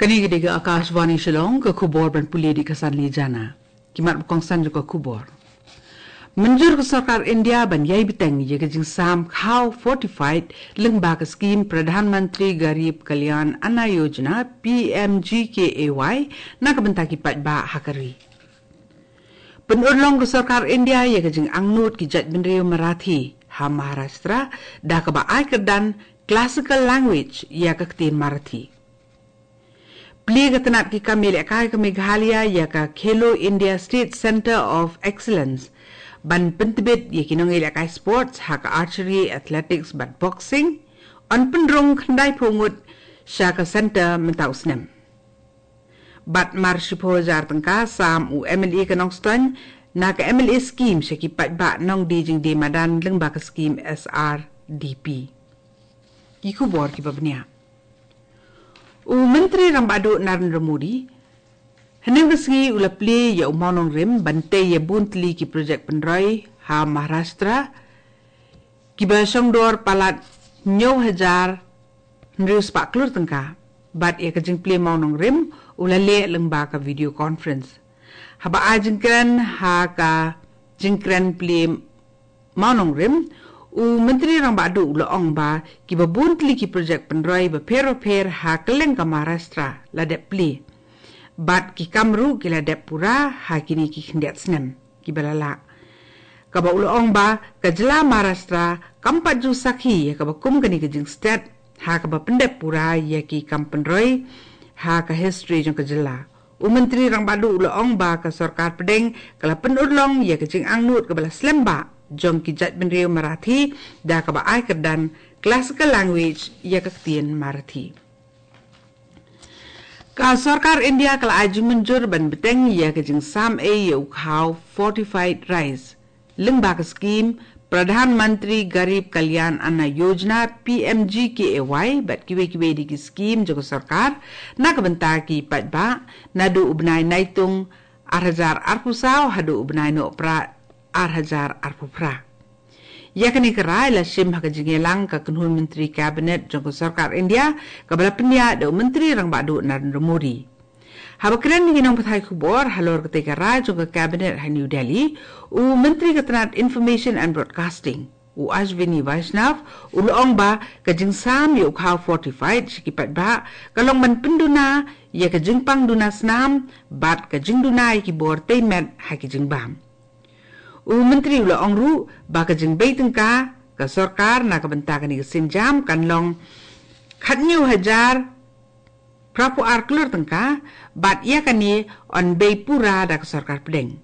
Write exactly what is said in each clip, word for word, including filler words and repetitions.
Kane ka dei ka Akashvani Shillong, ka khubor ban pule da ka Sanli Jana. Ki mat ba kongsan jong ka khubor. Mynjur ka sorkar India ban ïai bteng ïa ka jingsam khaw fortified lyngba ka skim Pradhan Mantri Garib Kalyan Anna Yojana, P M G K A Y, na ka bynta ki paidbah ha ka ri. Pynurlong ka sorkar India ïa ka jingangnud ki jaitbynriew Marathi ha Maharashtra da kaba ai kyrdan classical language ïa ka ktien Marathi. Plie ka tnat ki kam ïalehkai ka Meghalaya ïa ka Khelo India State Centre of Excellence ban pyntbit ïa ki nongïalehkai sports ha ka archery, athletics bad boxing. Yn pynrung khyndai phew ngut sha ka centre mynta u snem. Bad mar shiphew hajar tyngka sam u M L A ka Nongstoiñ na ka M L A scheme sha ki paidbah nongdie jingdie madan lyngba ka skim S R D P. Ki khubor kiba bniah. U Myntri Rangbah Duh Narendra Modi hynne ka sngi u la plie ïa u mawnongrim ban tei ïa bun tylli ki projek pynroi ha Maharashtra kiba shongdor palat hynñiew hajar hynriew spah klur tyngka. Bad ïa ka jingplie mawnongrim u la leh lyngba ka video conference. Haba ai jingkren ha ka jingkren plie mawnongrim, u Myntri Rangbah Duh u la ong ba kiba bun tylli ki projek pynroi bapher bapher ha kylleng ka Maharashtra la dep plie. Bad ki kam ruh ki la dep pura ha kine ki khyndiat snem kiba la lah. Kaba u la ong ba ka jylla Maharashtra kam pat ju sakhi ïa kaba kum kane ka jingstet ha kaba pyndep pura ïa ki kam pynroi ha ka history jong ka jylla. U Myntri Rangbah Duh u la ong ba ka sorkar pdeng ka la pynurlong ïa ka jingangnud kaba la slem bha jong ki jaitbynriew Marathi da kaba ai kyrdan classical language ïa ka ktien Marathi. Ka sorkar India ka la ai jingmynjur ban bteng ïa ka jingsam ei ïa u khaw fortified rice lyngba ka skim Pradhan Mantri Garib Kalyan Anna Yojana, P M G K A Y, bad kiwei kiwei de ki skim jong ka sorkar na ka bynta ki paidbah naduh u bnai Naitung ar hajar arphew saw haduh u bnai Nohprah ar hajar arphew phra. Ïa kane ka rai la shim ha ka jingïalang ka kynhun Myntri Cabinet jong ka sorkar India kaba la pynïaid da u Myntri Rangbah Duh Narendra Modi. Haba kren ïa ki nongpathai khubor halor katei ka rai jong ka Cabinet ha New Delhi, u Myntri ka tnat Information and Broadcasting, u Ashwini Vaishnaw, u la ong ba ka jingsam ïa u khaw fortified sha ki paidbah ka long ban pynduna ïa ka jingpang duna snam bad ka jingduna ïa ki bor tei met ha ki jingbam. U Myntri u la ong ruh ba ka jingbei tyngka ka sorkar na ka bynta kane ka sienjam kan long khathynñiew hajar phraphew ar klur tyngka, bad ïa kane yn bei pura da ka sorkar pdeng.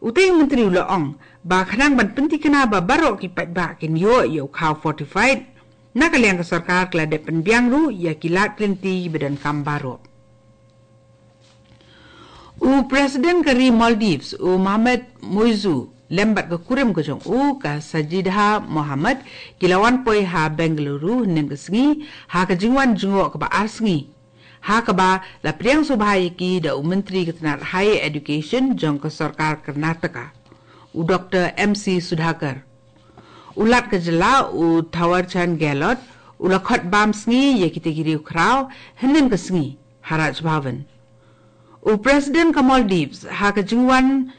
Utei u Myntri u la ong ba khnang ban pyntikna ba baroh ki paidbah kin ïoh ïa u khaw fortified, na ka liang ka sorkar ka la dep pynbiang ruh ïa ki lad ki lynti ba donkam baroh. U President ka ri Maldives, u Mohamed Muizzu, lem bad ka kurim ka jong u, ka Sajida Mohammed, ki la wan poi ha Bengaluru hynnin ka sngi ha ka jingwan jngoh kaba ar sngi, ha kaba la pdiang sngewbha ïa ki da u Myntri ka tnat Higher Education jong ka sorkar Karnataka, u Doctor M C Sudhakar. U Lat ka jylla, u Thawar Chand Gehlot, u la khot bam sngi ïa kitei ki riewkhraw hynnin ka sngi ha Raj Bhavan. U President ka Maldives, ha ka jingwan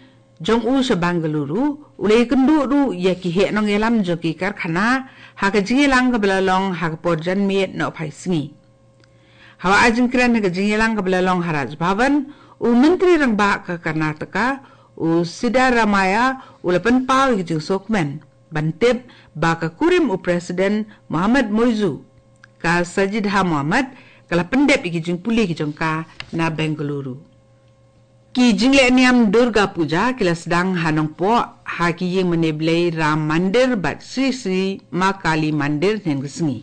jong u sha Bengaluru, u la ïakynduh ruh ïa ki heh nongïalam jong ki karkhana ha ka jingïalang kaba la long ha ka por janmiet nohphai sngi. Haba ai jingkren ha ka jingïalang kaba la long ha Raj Bhavan, u Myntri Rangbah ka Karnataka, u Siddaramaiah, u la pynpaw ïa ka jingsngewkmen ban tip ba ka kurim u President Mohamed Muizzu, ka Sajida Mohammed, ka la pyndep ïa ki jingpule ki jong ka na Bengaluru. Ki jingleh niam Durga Puja ki la sdang ha Nongpoh ha ki ïing mane blei Ram Mandir bad Shree Shree Maa Kali Mandir hynnin ka sngi.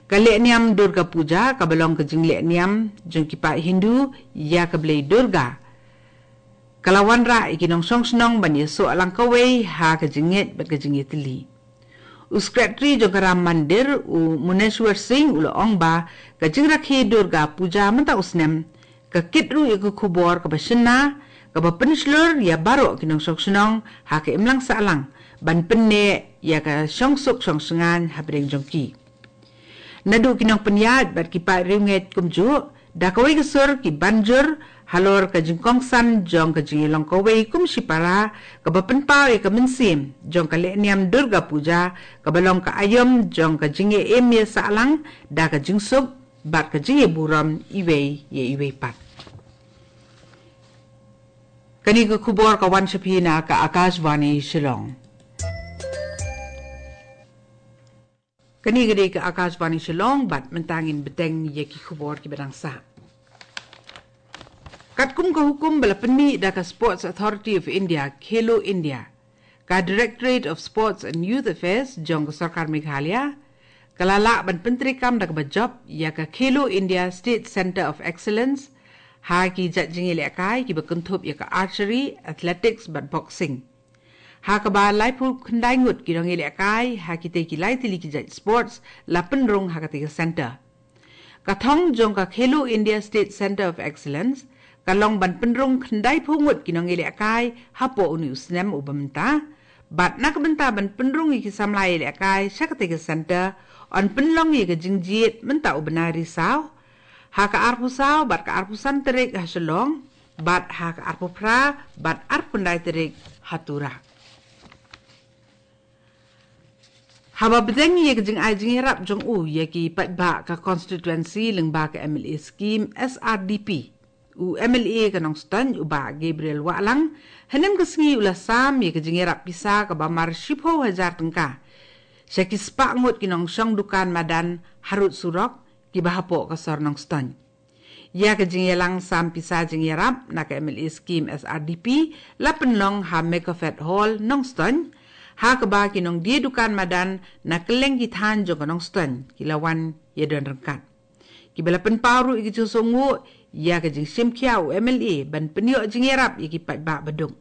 Ka leh niam Durga Puja kaba long ka jingleh niam jong ki paid Hindu ïa ka blei Durga, ka la wanrah ïa ki nongshong shnong ban ïasoh lang kawei ha ka jingngeit bad ka jingïatylli. U Secretary jong ka Ram Mandir, u Muneshwar Singh, u la ong ba ka jingrakhe Durga Puja mynta u snem ka kit ruh ïa ka khubor kaba shynna, kaba pynshlur ïa baroh ki nongshong shnong ha ka imlang sahlang ban pynneh ïa ka shongsuk shongshngaiñ hapdeng jong ki. Naduh ki nongpynïaid bad ki paid riewngeit kumjuh, Da kawei ka sur ki ban jur halor ka jingkongsan jong ka jingïalong kawei kum shipara, kaba pynpaw ïa ka mynsiem jong ka lehniam Durga Puja, kaba long ka aïom jong ka jingïaim ïasahlang da ka jingsuk bad ka jingïaburom iwei ïa iwei pat. Kane ka khubor ka wan sha phi na ka Akashvani Shillong. Kane ka dei ka Akashvani Shillong, bad mynta ngin bteng ïa ki khubor kiba dang sah. Katkum ka hukum ba la pynmih da ka Sports Authority of India, Khelo India, ka Directorate of Sports and Youth Affairs jong ka Sorkar Meghalaya, ka la lah ban pyntreikam da kaba jop ïa ka Khelo India State Centre of Excellence ha ki jait jingïalehkai kiba kynthup ïa ka archery, athletics bad boxing. Ha kaba laiphew khyndai ngut ki nongïalehkai ha kitei ki lai tylli ki jait sports la pynrung ha katei ka centre. Ka thong jong ka Khelo India State Centre of Excellence ka long ban pynrung khyndaiphew ngut ki nongïalehkai hapoh une u snem uba mynta, bad na ka bynta ban pynrung ïa ki samla ïalehkai sha katei ka centre, yn pynlong ïa ka jingjied mynta u bnai Risaw, ha ka arphew saw bad ka arphew san tarik ha Shillong, bad ha ka arphew phra bad arphew khyndai tarik ha Tura. Haba bteng ïa ka jingai jingïarap jong u ïa ki paidbah ka constituency lyngba ka M L A scheme S R D P, u M L A ka Nongstoiñ, u Bah Gabriel Wahlang, hynnin ka sngi u la sam ïa ka jingïarap pisa kaba mar shiphew hajar tyngka sha ki spah ngut ki nongshong dukan madan harud surok kiba hapoh ka sor Nongstoiñ. Ïa ka jingïalang sam pisa jingïarap na ka M L A scheme S R D P la pynlong ha Mecofed Hall, Nongstoiñ, ha kaba ki nongdie dukan madan na kylleng ki thaiñ jong ka Nongstoiñ ki la wan ïadon ryngkat. Kiba la pynpaw ruh ïa ka jingsngewnguh ïa ka jingshim khia u M L A ban pynïoh jingïarap ïa ki paidbah baduk.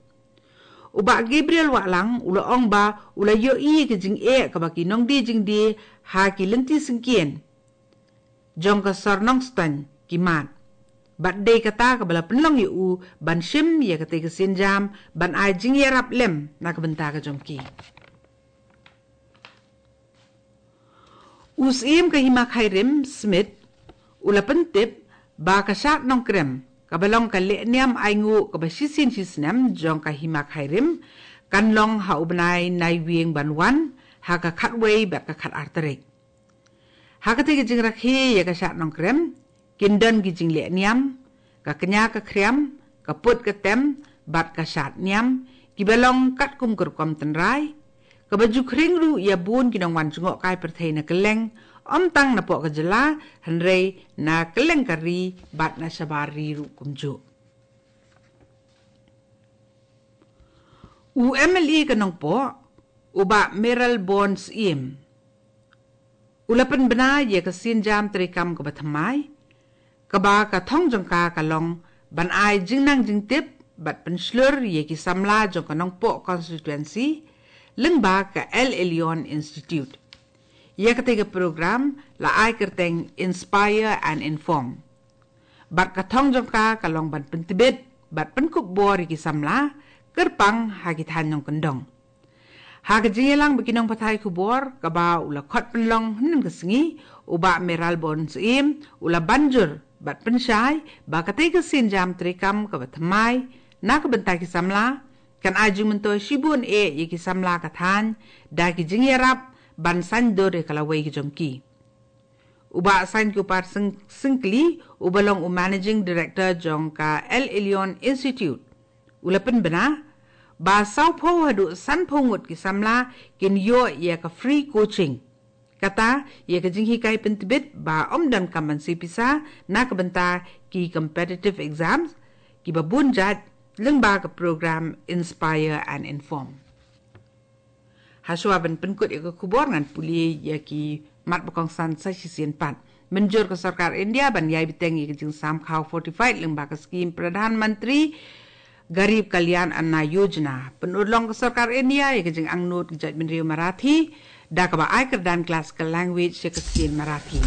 U Bah Gabriel Wahlang u la ong ba u la ïohi ïa ka jingeh kaba ki nongdie jingdie ha ki lynti syngkien jong ka sor Nongstoiñ ki mad, bad dei kata kaba la pynlong ïa u ban shim ïa katei ka sienjam ban ai jingïarap lem na ka bynta ka jong ki. U Syiem ka Hima Khyrim Smit u la pyntip ba ka Shad Nongkrem, kaba long ka lehniam ainguh kaba shisien shisnem jong ka Hima Khyrim, kan long ha u bnai Naiwieng ban wan ha ka khatwei bad ka khatar tarik. Ha katei ka jingrakhe ïa ka Shad Nongkrem kin don ki jinglehniam, ka kñia ka khriam, ka put ka tem bad ka shad niam, kiba long katkum ka rukom tynrai, kaba ju khring ruh ïa bun ki nongwan jngohkai pyrthei na kylleng, ym tang napoh ka jylla, hynrei na kylleng ka ri bad na shabar ri ruh kumjuh. U M L A ka Nongpoh, u Bah Mayralborn Syiem, u la pynbna ïa ka sienjam treikam kaba thymmai, kaba ka thong jong ka ka long ban ai jingnang jingtip bad pynshlur ïa ki samla jong ka Nongpoh constituency lyngba ka El Elyon Institute. Ïa katei ka program la ai kyrteng Inspire and Inform. Bad ka thong jong ka ka long ban pyntbit bad pynkup bor ïa ki samla kyrpang ha ki thaiñ nongkyndong. Ha ka jingïalang bad ki nongpathai khubor kaba u la khot pynlong hynnin ka sngi, u Bah Mayralborn Syiem u la ban jur bad pynshai ba katei ka sienjam treikam kaba thymmai na ka bynta ki samla kan ai jingmyntoi shibun eh ïa ki samla ka thaiñ da ki jingïarap ban saiñdur ïa ka lawei ka jong ki. U Bah Sainkupar Syng-, Syngkli, uba long u Managing Director jong ka El Elyon Institute, u la pynbna ba sawphew haduh sanphew ngut ki samla kin ïoh ïa ka free coaching, kata ïa ka jinghikai pyntbit ba ym donkam ban siew pisa na ka bynta ki competitive exams kiba bun jait lyngba ka program Inspire and Inform. Hashwa ban pynkut ïa ka khubor, ngan pule ïa ki mat ba kongsan sa shisien pat. Mynjur ka Sorkar India ban ïai bteng ïa ka jingsam khaw fortified lyngba ka skhim Pradhan Mantri Garib Kalyan Anna Yojana. Pynurlong ka Sorkar India ïa ka jingangnud ka jaitbynriew Marathi da kaba ai kyrdan classical language ïa ka skhim Marathi.